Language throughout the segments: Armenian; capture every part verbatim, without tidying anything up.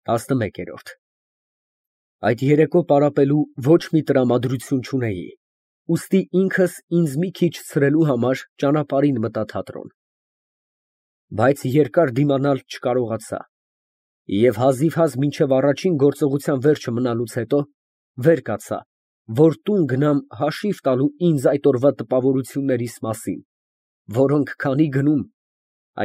տասնմեկերորդ Այդ երեկո պարապելու ոչ մի տրամադրություն չունեի, ուստի ինքս ինձ մի քիչ ցրելու համար ճանապարհին մտա թատրոն, բայց երկար դիմանալ չկարողացա և հազիվհազ մինչև առաջին գործողության վերջը մնալուց հետո վեր կացա, որ տուն գնամ հաշիվ տալու ինձ այդ օրվա տպավորություններիս մասին, որոնք քանի գնում,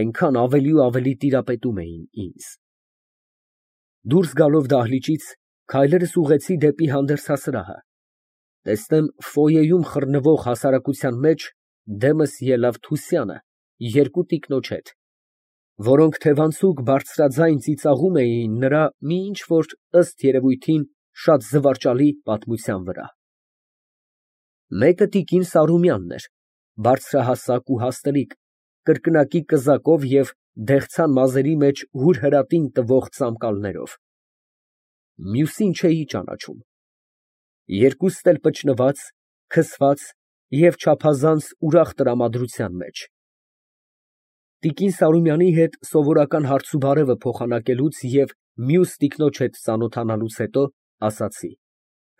այնքան ավելի ու ավելի տիրապետում էին ինձ։ Դուրս գալով դահլիճից, քայլերս ուղղեցի դեպի հանդերձասրահը, տեսնեմ ֆոյեում խռնվող հասարակության մեջ դեմս ելավ Թուսյանը երկու տիկնոջ հետ, որոնք թևանցուկ բարձրաձայն ծիծաղում էին նրա մի ինչ֊որ, ըստ երևույթին, շատ զվարճալի պատմության վրա։ Մեկը տիկին Սարոմյանն էր, բարձրահասակ ու հաստլիկ, կրկնակի կզակով և դեղցան մազերի մեջ հուրհրատին տվող ծամկալներով, մյուսին չէի ճանաչում, երկուստ էլ պճնված, քսված և չափազանց ուրախ տրամադրության մեջ։ Տիկին Սարոմյանի հետ սովորական հարցուբարևը փոխանակելուց և մյուս տիկնոջ հետ ծանոթանալուց հետո ասացի.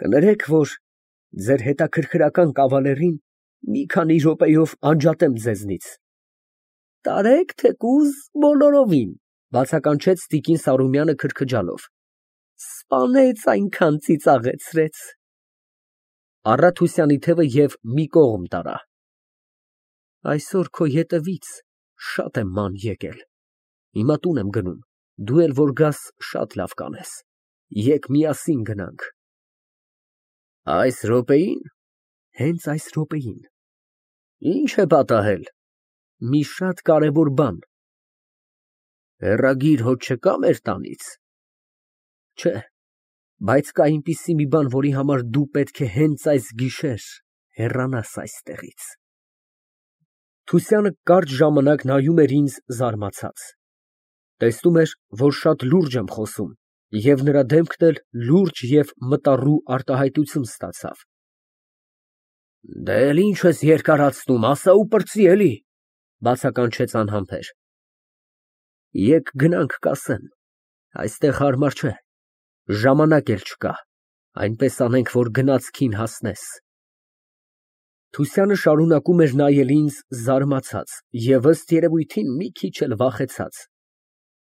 «Կներեք, որ ձեր հետաքրքրական կավալերին մի քանի րոպեով անջատեմ ձեզնից»։ ֊ Տարեք, թեկուզ բոլորովին, ֊ բացականչեց տիկին Սարոմյանը քրքջալով, ֊ սպանեց, այնքան ծիծաղեցրեց։ Առա Թուսյանի թևը և մի կողմ տարա։ Այսօր քո ետևից շատ եմ ման եկել, հիմա տուն եմ գնում, դու էլ որ գաս, շատ լավ կանես, եկ միասին գնանք։ Այս րոպեի՞ն։ Հենց այս րոպեին։ Ի՞նչ է պատահել։ Մի շատ կարևոր բան։ Հեռագիր հոտ չկա՞ մեր տանից։ Չէ, բայց կա այնպիսի մի բան, որի համար դու պետք է հենց այս գիշեր հեռանաս այստեղից։ Թուսյանը կարճ ժամանակ նայում էր ինձ զարմացած, տեսնում էր, որ շատ լուրջ եմ խոսում, և նրա դեմքն էլ լուրջ և մտառու արտահայտություն ստացավ։ Դե էլ ինչ ես երկարացնում, ասա ու պրծի, էլի, բացականչեց անհամբեր։ Եկ գնանք կասեմ, այստեղ հարմար չէ, ժամանակ էլ չկա, այնպես անենք, որ գնացքին հասնես։ Թուսյանը շարունակում էր նայել ինձ զարմացած և ըստ երևույթին մի քիչ էլ վախեցած,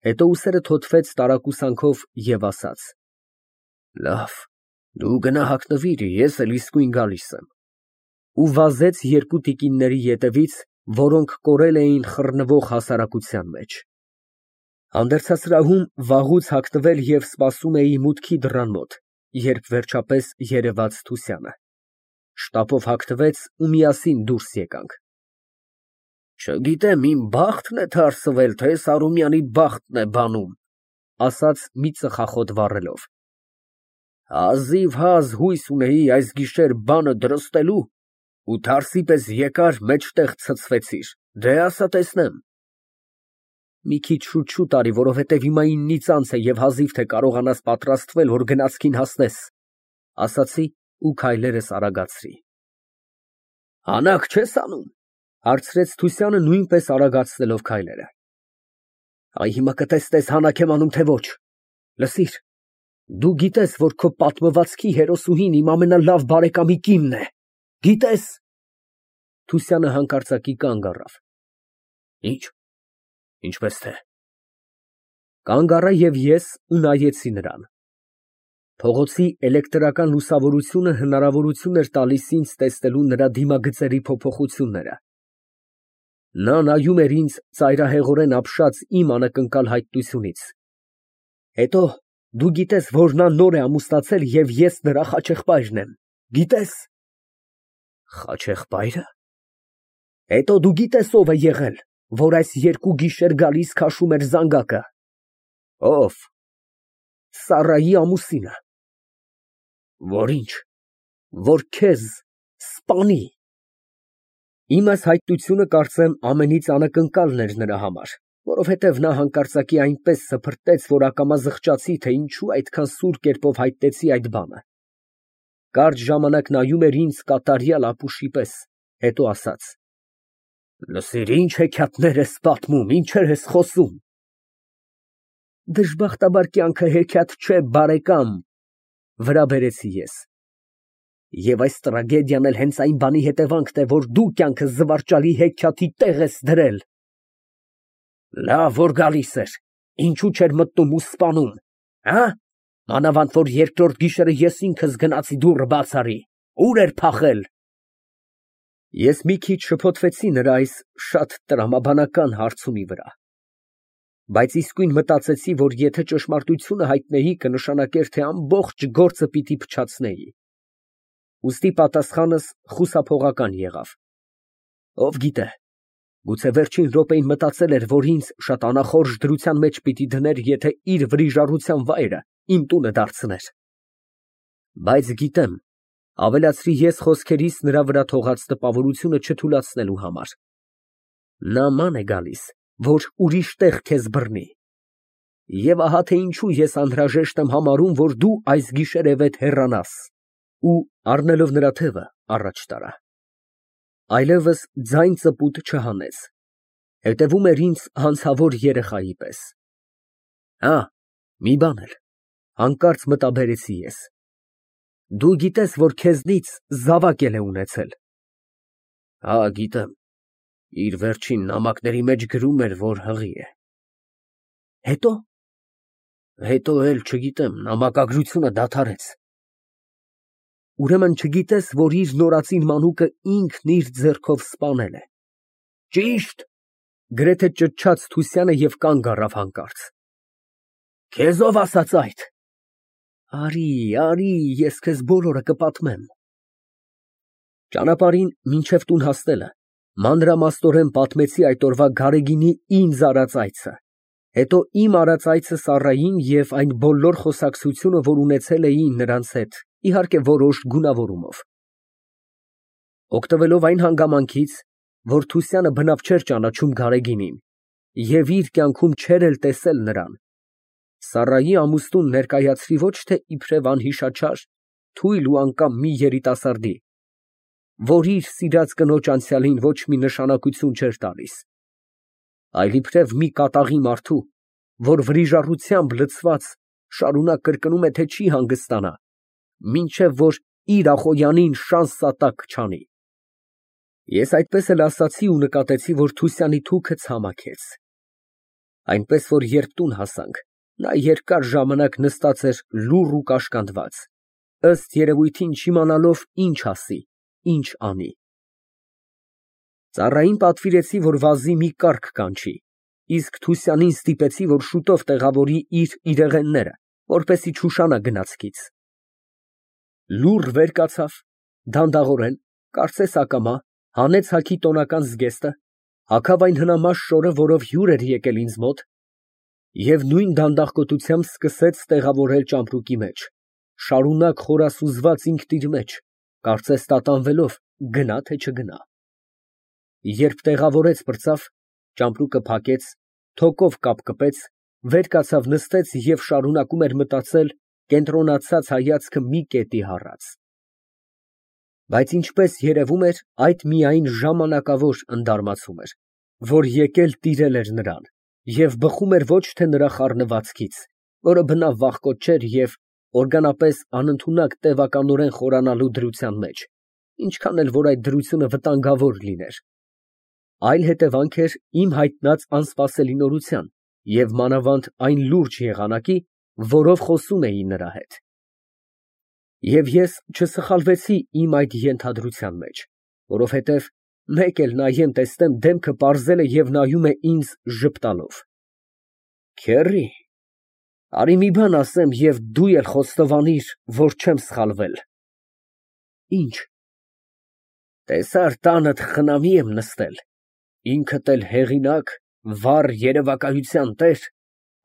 հետո ուսերը թոթվեց տարակուսանքով և ասաց. Լավ, դու գնա հագնվիր, ես էլ իսկույն գալիս եմ։ Ու վազեց երկու տիկինների ետևից, որոնք կորել էին խռնվող հասարակության մեջ։ Հանդերձասրահում վաղուց հագնվել և սպասում էի մուտքի դռան մոտ, երբ վերջապես երևաց Թուսյանը։ Շտապով հագնվեց ու միասին դուրս եկանք։ Չգիտեմ, իմ բախտն է թարսվել, թե Սարոմյանի բախտն է բանում, ասաց մի ծխախոտ վառելով։ Հազիվհազ հույս ունեի այս գիշեր բանը դրստելու ու թարսի պես եկար, մեջտեղ ցցվեցիր, դե ասա տեսնեմ։ Մի քիչ շուտ արի, որովհետև հիմա իննից անց է և հազիվ թե կարողանաս պատրաստվել, որ գնացքին հասնես, ասացի ու քայլերս արագացրի։ Հանաք չես անում, հարցրեց Թուսյանը նույնպես արագացնելով քայլերը։ Այ հիմա կտեսնես հանաք եմ անում, թե ոչ։ Լսիր, դու գիտես, որ քո պատմվածքի հերոսուհին իմ ամենալավ բարեկամի կինն է, գիտես։ Թուսյանը հանկարծակի կանգ առավ։ Ինչ, ինչպես թե։ Կանգ առա և ես ու նայեցի նրան։ Փողոցի էլեկտրական լուսավորությունը հնարավորություն էր տալիս ինձ տեսնելու նրա դիմագծերի փոփոխությունները։ Նա նայում էր ինձ ծայրահեղորեն ապշած իմ անակնկալ հայտնությունից։ Հետո դու գիտես, որ նա նոր է ամուսնացել և ես նրա խաչեղբայրն եմ, գիտես։ Խաչեղբա՞յրը։ Հետո դու գիտես ով է եղել, որ այս երկու գիշեր գալիս քաշում էր զանգակը։ Ով։ Սառայի ամուսինը։ Որ ինչ։ Որ քեզ սպանի։ Իմ այս հայտնությունը կարծեմ ամենից անակնկալն էր նրա համար, որովհետև նա հանկարծակի այնպես սփռտեց, որ ակամա զղջացի, թե ինչու այդքան սուր կերպով հայտնեցի այդ բանը։ Կարճ ժամանակ նայում էր ինձ կատարյալ ապուշի պես, հետո ասաց. Լսիր, ինչ հեքիաթներ ես պատմում, ինչեր ես խոսում։ Դժբախտաբար կյանքը հեքիաթ չէ, բարեկամ, վրա բերեցի ես։ Եվ այս տրագեդիան էլ հենց այն բանի հետևանքն է, որ դու կյանքս զվարճալի հեքիաթի տեղ ես դրել։ Լավ որ գալիս էր, ինչու չէր մտնում ու սպանում, հա՞։ Մանավանդ որ երկրորդ գիշերը ես ինքս գնացի դուռը բաց արի, ուր էր փախել։ Ես մի քիչ շփոթվեցի նրա այս շատ տրամաբանական հարցումի վրա, բայց իսկույն մտածեցի, որ եթե ճշմարտությունը հայտնեի, կնշանակեր, թե ամբողջ գործը պիտի փչացնեի։ Ուստի պատասխանս խուսափողական եղավ. ով գիտե, գուցե վերջին րոպեին մտածել էր, որ ինձ շատ անախորժ դրության մեջ պիտի դներ, եթե իր վրիժառության վայրը իմ տունը դարձներ։ Բայց գիտեմ, ավելացրի ես խոսքերիս նրա վրա թողած տպավորությունը չթուլացնելու համար, նա ման է գալիս, որ ուրիշ տեղ քեզ բռնի։ Եվ ահա թե ինչու ես անհրաժեշտ եմ համարում, որ դու այս գիշերևեթ հեռանաս, ու առնելով նրա թևը առաջ տարա։ Այլևս ձայն ծպուտ չհանեց, հետևում էր ինձ հանցավոր երեխայի պես։ Հա, մի բան էլ, հանկարծ մտաբերեցի ես, դու գիտես, որ քեզնից զավակ էլ է ունեցել։ Հա, գիտեմ, իր վերջին նամակների մեջ գրում էր, որ հղի է։ Հետո։ Հետո էլ չգիտեմ, նամակագրությունը դադարեց։ Ուրեմն չգիտես, որ իր նորածին մանուկը ինքն իր ձեռքով սպանել է։ Ճիշտ, գրեթե ճչաց Թուսյանը և կանգ առավ հանկարծ։ Քեզ ով ասաց այդ։ Արի, արի, ես քեզ բոլորը կպատմեմ։ Ճանապարհին մինչև տուն հասնելը մանրամասնորեն պատմեցի այդ օրվա Գարեգինի ինձ արած այցը, հետո իմ արած այցը Սառային և այն բոլոր խոսակցությունը, որ ունեցել էի նրանց հետ, իհարկե որոշ գունավորումով։ Օգտվելով այն հանգամանքից, որ Թուսյանը բնավ չէր ճանաչում Գարեգինին և իր կյանքում չէր էլ տեսել նրան, Սառայի ամուսնուն ներկայացրի ոչ թե իբրև անհիշաչար, թույլ ու անկամ մի երիտասարդի, որ իր սիրած կնոջ անցյալին ոչ մի նշանակություն չէր տալիս, այլ իբրև մի կատաղի մարդու, որ վրիժառությամբ լցված շարունակ կրկնում է, թե չի հանգստանա, մինչև որ իր Ախոյանին շան֊սատակ չանի։ Ես այդպես էլ ասացի ու նկատեցի, որ Թուսյանի թուքը ցամաքեց, այնպես որ երբ տուն հասանք, նա երկար ժամանակ նստած էր լուռ ու կաշկանդված, ըստ երևույթին չիմանալով ինչ ասի, ինչ անի։ Ծառային պատվիրեցի, որ վազի մի կառք կանչի, իսկ Թուսյանին ստիպեցի, որ շուտով տեղավորի իր իրեղենները, որպեսզի չուշանա գնացքից։ Լուռ վեր կացավ, դանդաղորեն, կարծես ակամա, հանեց հագի տոնական զգեստը, հագավ այն հնամաշ շորը, որով հյուր էր եկել ինձ մոտ, և նույն դանդաղկոտությամբ սկսեց տեղավորել ճամպրուկի մեջ, շարունակ խորասուզված ինքն իր մեջ, կարծես տատանվելով, գնա թե չգնա։ Երբ տեղավորեց պրծավ, ճամպրուկը փակեց, թոկով կապկպեց, վեր կացավ նստեց և շարունակում էր մտածել, կենտրոնացած հայացքը մի կետի հառած։ Բայց ինչպես երևում էր, այդ միայն ժամանակավոր ընդարմացում էր, որ եկել տիրել էր նրան, և բխում էր ոչ թե նրա խառնվածքից, որը բնավ վախկոտ չէր և օրգանապես անընդունակ տևականորեն խորանալու դրության մեջ, ինչքան էլ որ այդ դրությունը վտանգավոր լիներ, այլ հետևանք էր իմ հայտնած անսպասելի նորության և մանավանդ այն լուրջ եղանակի, որով խոսում էի նրա հետ։ Եվ ես չսխալվեցի իմ այդ ենթադրության մեջ, որովհետև մեկ էլ նայեմ տեսնեմ դեմքը պարզել է և նայում է ինձ ժպտալով։ Քեռի, արի մի բան ասեմ և դու էլ խոստովանիր, որ չեմ սխալվել։ Ինչ։ Տեսար տանդ խնամի եմ նստել, ինքդ էլ հեղինակ, վառ երևակայության տեր,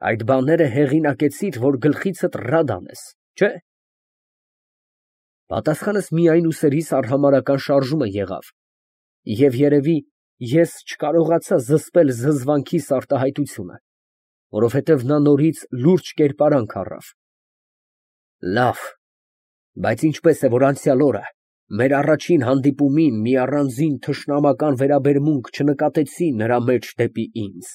այդ բաները հեղինակեցիր, որ գլխիցդ ռադ անես, չէ՞։ Պատասխանս միայն ուսերիս արհամարհական շարժումը եղավ, և երևի ես չկարողացա զսպել զզվանքիս արտահայտությունը, որովհետև նա նորից լուրջ կերպարանք առավ։ Լավ, բայց ինչպես է, որ անցյալ օրը մեր առաջին հանդիպումին մի առանձին թշնամական վերաբերմունք չնկատեցի նրա մեջ դեպի ինձ։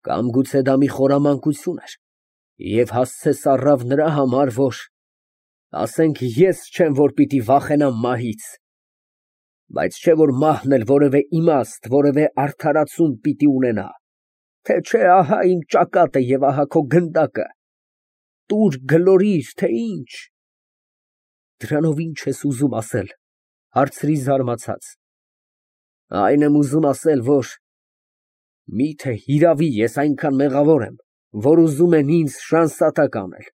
Կամ գուցե դա մի խորամանկություն էր և հասցես առավ նրա համար, որ, ասենք, ես չեմ, որ պիտի վախենամ մահից, բայց չէ որ մահն էլ որևէ իմաստ, որևէ արդարացում պիտի ունենա, թե չէ ահա իմ ճակատը և ահա քո գնդակը, տուր գլորիր, թե ինչ։ Դրանով ի՞նչ ես ուզում ասել, հարցրի զարմացած։ Այն եմ ուզում ասել, որ միթե հիրավի ես այնքան մեղավոր եմ, որ ուզում են ինձ շանսատակ անել,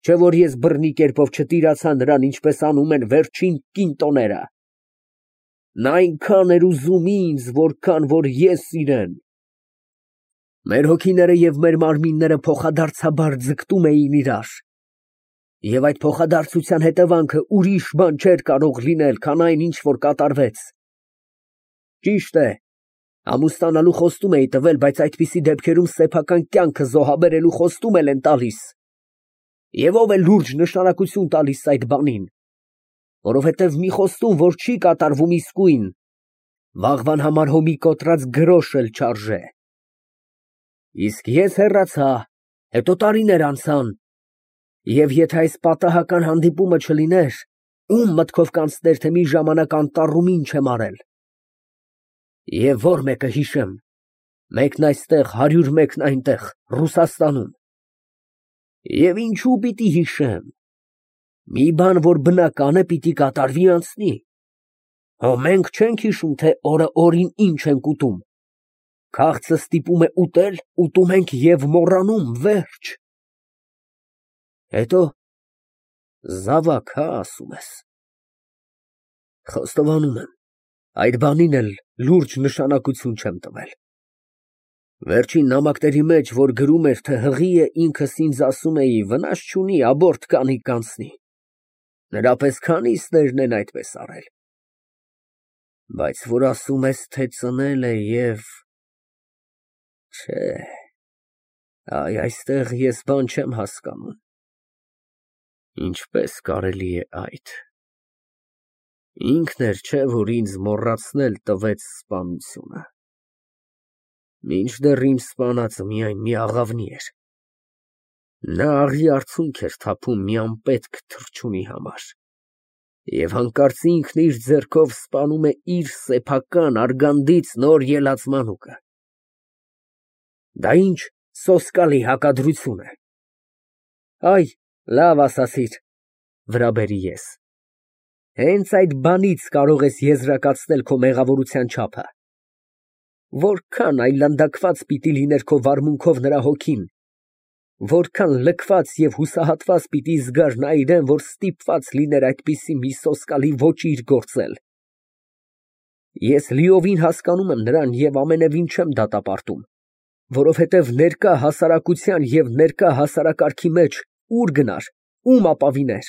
չէ որ ես բռնի կերպով չտիրացա նրան, ինչպես անում են վերջին կինտոները։ Նա այնքան էր ուզում ինձ, որքան որ ես իրեն։ Մեր հոգիները և մեր մարմինները փոխադարձաբար ձգտում էին իրար, և այդ փոխադարձության հետևանքը ուրիշ բան չէր կարող լինել, քան այն, ինչ որ կատարվեց։ Ճիշտ է, ամուսնանալու խոստում էի տվել, բայց այդպիսի դեպքերում սեփական կյանքը զոհաբերելու խոստում էլ են տալիս։ Եվ ով է լուրջ նշանակություն տալիս այդ բանին, որովհետև մի խոստում, որ չի կատարվում իսկույն, վաղվան համար հո մի կոտրած գրոշ էլ չարժե։ Իսկ ես հեռացա, հետո տարիներ անցան, և եթե այս պատահական հանդիպումը չլիներ, ում մտքով կանցներ, թե մի ժամանակ անտառում ինչ եմ արել։ Եվ որ մեկը հիշեմ, մեկն այստեղ, հարյուր մեկն այնտեղ, Ռուսաստանում։ Եվ ինչու պիտի հիշեմ, մի բան, որ բնական է, պիտի կատարվի անցնի։ Հո մենք չենք հիշում, թե օրը օրին ինչ ենք ուտում։ Քաղցը ստիպում է ուտել, ուտում ենք և մոռանում, վերջ։ Հետո զավակ, հա, ասում ես։ Խոստովանում եմ, այդ բանին էլ լուրջ նշանակություն չեմ տվել։ Վերջին նամակների մեջ, որ գրում էր, թե հղի է, ինքս ինձ ասում էի, վնաս չունի, աբորտ կանի կանցնի։ Նրա պես քանիսներն են այդպես արել։ Բայց որ ասում ես, թե ծնել է և… Չէ, այ այստեղ ես բան չեմ հասկանում։ Ինչպես կարելի է այդ… Ինքն էր, չէ, որ ինձ մոռացնել տվեց սպանությունը։ Մինչդեռ իմ սպանածը միայն մի աղավնի էր։ Նա աղի արցունք էր թափում մի անպետք թռչունի համար, և հանկարծ ինքն իր ձեռքով սպանում է իր սեփական արգանդից նոր ելած մանուկը։ Դա ինչ սոսկալի հակադրություն է։ Այ, լավ ասացիր, վրա բերի ես։ Հենց այդ բանից կարող ես եզրակացնել քո մեղավորության չափը։ Որքան այլանդակված պիտի լիներ քո վարմունքով նրա հոգին, որքան լքված և հուսահատված պիտի զգար նա իրեն, որ ստիպված լիներ այդպիսի մի սոսկալի ոճիր գործել։ Ես լիովին հասկանում եմ նրան և ամենևին չեմ դատապարտում, որովհետև ներկա հասարակության և ներկա հասարակարգի մեջ ուր գնար, ում ապավիներ,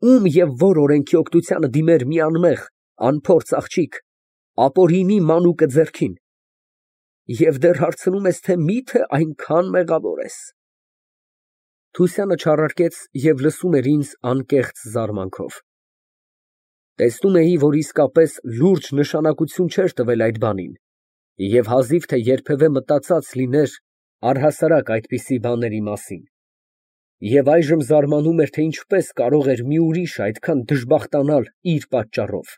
ում և որ օրենքի օգնությանը դիմեր մի անմեղ, անփորձ աղջիկ, ապօրինի մանուկը ձեռքին, և դեռ հարցնում ես, թե մի՞թե այնքան մեղավոր ես։ Թուսյանը չարարկեց և լսում էր ինձ անկեղծ զարմանքով։ Տեսնում էի, որ իսկապես լուրջ նշանակություն չէր տվել այդ բանին, և հազիվ թե երբևէ մտածած լիներ առհասարակ այդպիսի բաների մասին, և այժմ զարմանում էր, թե ինչպես կարող էր մի ուրիշ այդքան դժբախտանալ իր պատճառով։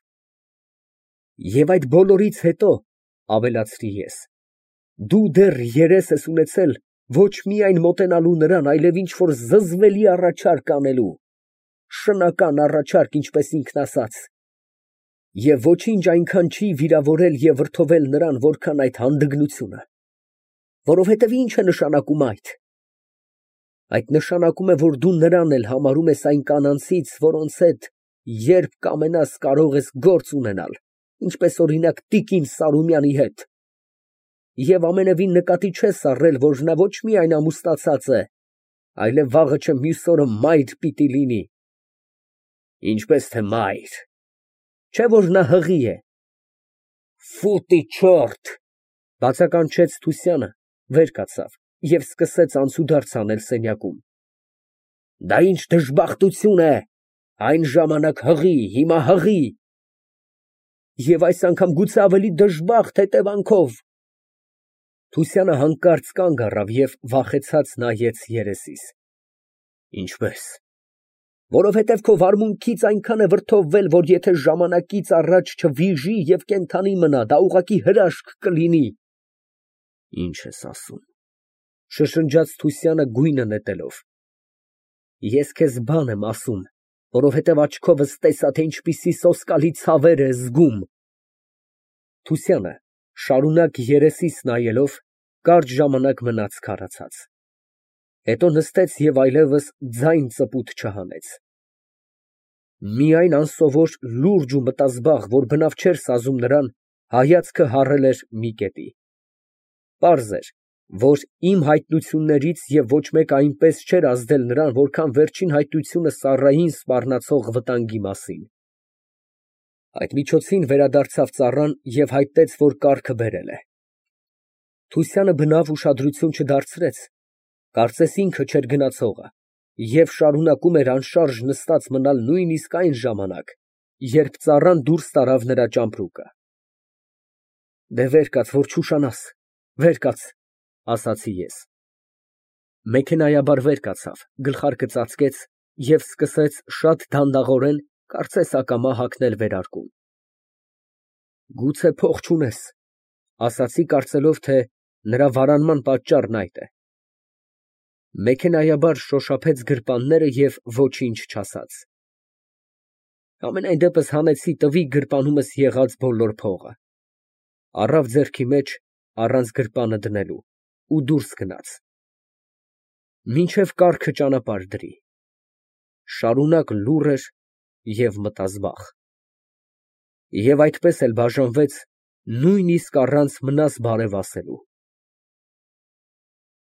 Եվ այդ բոլորից հետո, ավելացրի ես, դու դեռ երես ես ունեցել ոչ միայն մոտենալու նրան, այլև ինչ֊որ զզվելի առաջարկ անելու, շնական առաջարկ, ինչպես ինքն ասաց, և ոչինչ այնքան չի վիրավորել և վրդովել նրան, որքան այդ հանդգնությունը, որովհետև ի՞նչ է նշանակում այդ։ Այդ նշանակում է, որ դու նրան էլ համարում ես այն կանանցից, որոնց հետ երբ կամենաս կարող ես գործ ունենալ, ինչպես օրինակ տիկին Սարոմյանի հետ, և ամենևին նկատի չես առել, որ նա ոչ միայն ամուսնացած է, այլև վաղը չէ մյուս օրը մայր պիտի լինի։ Ինչպես թե մայր, չէ՞ որ նա հղի է։ Ֆուտի չորթ, բացականչեց Թուսյանը, վեր կացավ և սկսեց անցուդարձ անել սենյակում։ Դա ինչ դժբախտություն է, այն ժամանակ հղի, հիմա հղի, և այս անգամ գուցե ավելի դժբախտ հետևանքով։ Թուսյանը հանկարծ կանգ առավ և վախեցած նայեց երեսիս։ Ինչպե՞ս։ Որովհետև քո վարմունքից այնքան է վրդովվել, որ եթե ժամանակից առաջ չվիժի և կենդանի մնա, դա ուղղակի հրաշք կլինի։ Ի՞նչ ես ասում, շշնջաց Թուսյանը գույնը նետելով։ Ես քեզ բան եմ ասում, որովհետև աչքովս տեսա, թե ինչպիսի սոսկալի ցավեր է զգում։ Թուսյանը շարունակ երեսիս նայելով, կարճ ժամանակ մնաց քարացած, հետո նստեց և այլևս ձայն ծպուտ չհանեց։ Միայն անսովոր լուրջ ու մտազբաղ, որ բնավ չէր սազում նրան, հայացքը հառել էր մի կետի։ Պարզ էր, որ իմ հայտնություններից և ոչ մեկ այնպես չէր ազդել նրան, որքան վերջին հայտնությունը Սառային սպառնացող վտանգի մասին։ Այդ միջոցին վերադարձավ ծառան և հայտնեց, որ կառքը բերել է։ Թուսյանը բնավ ուշադրություն չդարձրեց, կարծես ինքը չէր գնացողը, և շարունակում էր անշարժ նստած մնալ նույնիսկ այն ժամանակ, երբ ծառան դուրս տարավ նրա ճամպրուկը։ Վեր կաց, որ չուշանաս, վեր կաց, ասացի ես։ Մեքենայաբար վեր կացավ, գլխարկը ծածկեց և սկսեց շատ դանդաղորեն, կարծես ակամա հագնել վերարկուն։ Գուցե փող չունես, ասացի, կարծելով, թե նրա վարանման պատճառն այդ է։ Մեքենայաբար շոշափեց գրպանները և ոչինչ չասաց։ Համենայն դեպս հանեցի տվի գրպանումս եղած բոլոր փողը, առավ ձեռքի մեջ, առանց գրպանը դնելու, ու դուրս գնաց։ Մինչև կառքը ճանապարհ դրի։ Շարունակ լուռ էր և մտազբաղ։ Եվ այդպես էլ բաժանվեց, նույնիսկ առանց մնաս բարև ասելու։